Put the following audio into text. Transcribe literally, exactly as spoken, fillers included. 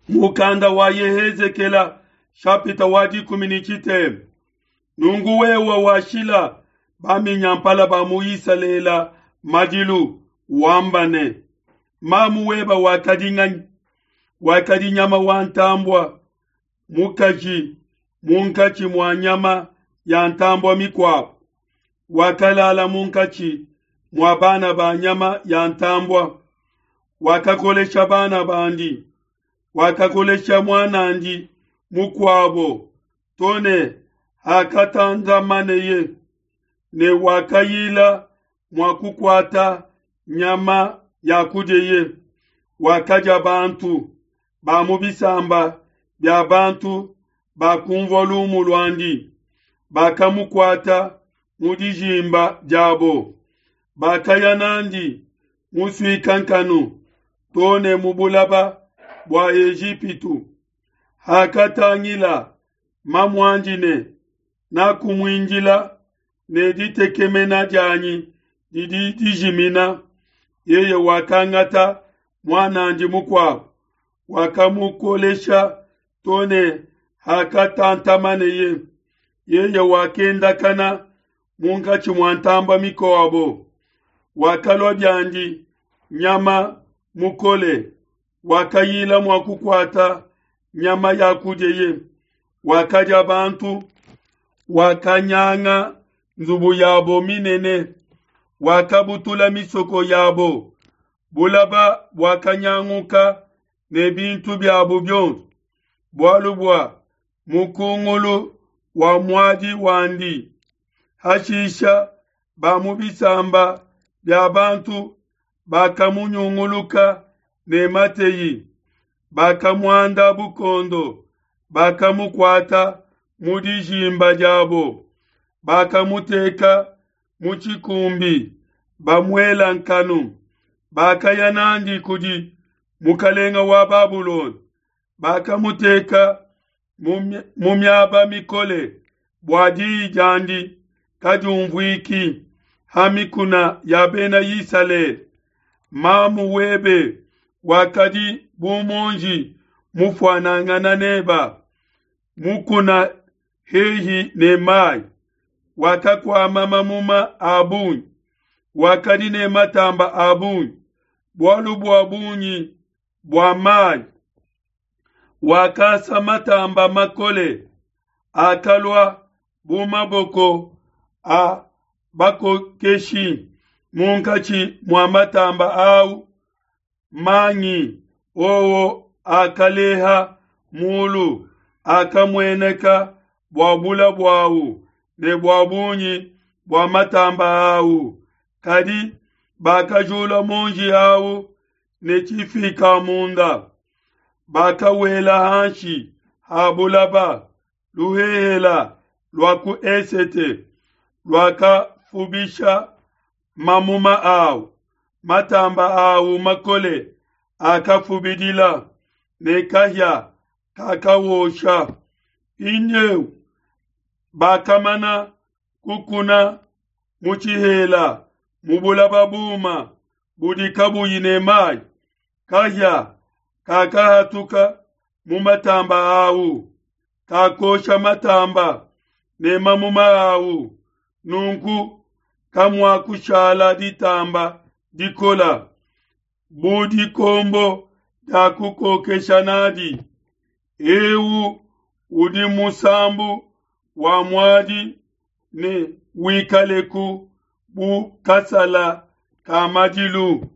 Mukanda wa Yehezekela shapita wa dikumi ne tshitema. Nunku wewe washila baminyampala ba mu Isalele madilu wamba ne, mamu weba wakadi nganyi? Wakadi nyama wa ntambua mukaji munkatshi mua nyama ya ntambua mikuabu. Wakalala munkatshi mua bana ba nyama ya ntambua. Wakakolesha bana bandi, wakakolesha muanandi mukuabo tone hakatanzamaneye, ne wakayila mua kukuata nyama ya kudiye. Wakadia bantu ba mu bisamba bia bantu bakumvua lumu luandi, bakamukuata mu dijimba diabo, bakaya nandi musuika nkanu tone mu bulaba bua Ejipitu. Hakatangila mamuandi ne nakumuindila ne ditekemena dianyi didi dijimina, yeye wakangata muanandi mukuabo, wakamukolesha tone hakatantamaneye. Yeye wakendakana munkatshi mua ntamba mikuabo, wakalua biandi nyama mukole, wakayila mua kukuata nyama ya kudiye, wakadia bantu, wakanyanga nzubu yabo minene, wakabutula misoko yabo, bulaba bwakanyanguka ne bintu byabo byonso, bualu bua mukungulu wa muadi wandi. Hashisha ba mu bisamba bia bantu bakamunyunguluka ne mateyi, bakamuanda bukondo, bakamukuata mu dijimba diabo, bakamuteka mu tshikumbi, bamuela nkanu, bakaya nandi kudi mukalenga wa Babulona, bakamuteka mu miaba mikole bua diyi diandi kadiumvuiki ha mikuna ya bena Isalele. Mamu webe wakadi bu muonji mufuanangana neba, mukuna hehi ne mai, wakakuama mamuma a bungi, wakadi ne matamba a bungi, bualu bua bungi bua mai. Wakasa matamba makole akalua bu maboko a bakokeshi munkatshi mua matamba au mangi owo akaleha mulu, akamueneka bua bula buawu ne bua bungi bua matamba au. Kadi bakajula monji au ne tshifika munda, bakawela hanshi ha bulaba. Luhehela lua ku esete luakafubisha mamuma au, matamba au makole akafubidila, ne kahia kakawosha. Mpindieu bakamana kukuna mu tshihela mu bulaba buma budi kabuyi ne mai. Kahia kakahatuka mu matamba au, kakosha matamba ne mamuma au. Nunku kamuakushala ditamba dikola bu dikombo dia kukokesha nadi. Eu udi musambu wa muadi ne wikaleku bu kasala ka madilu.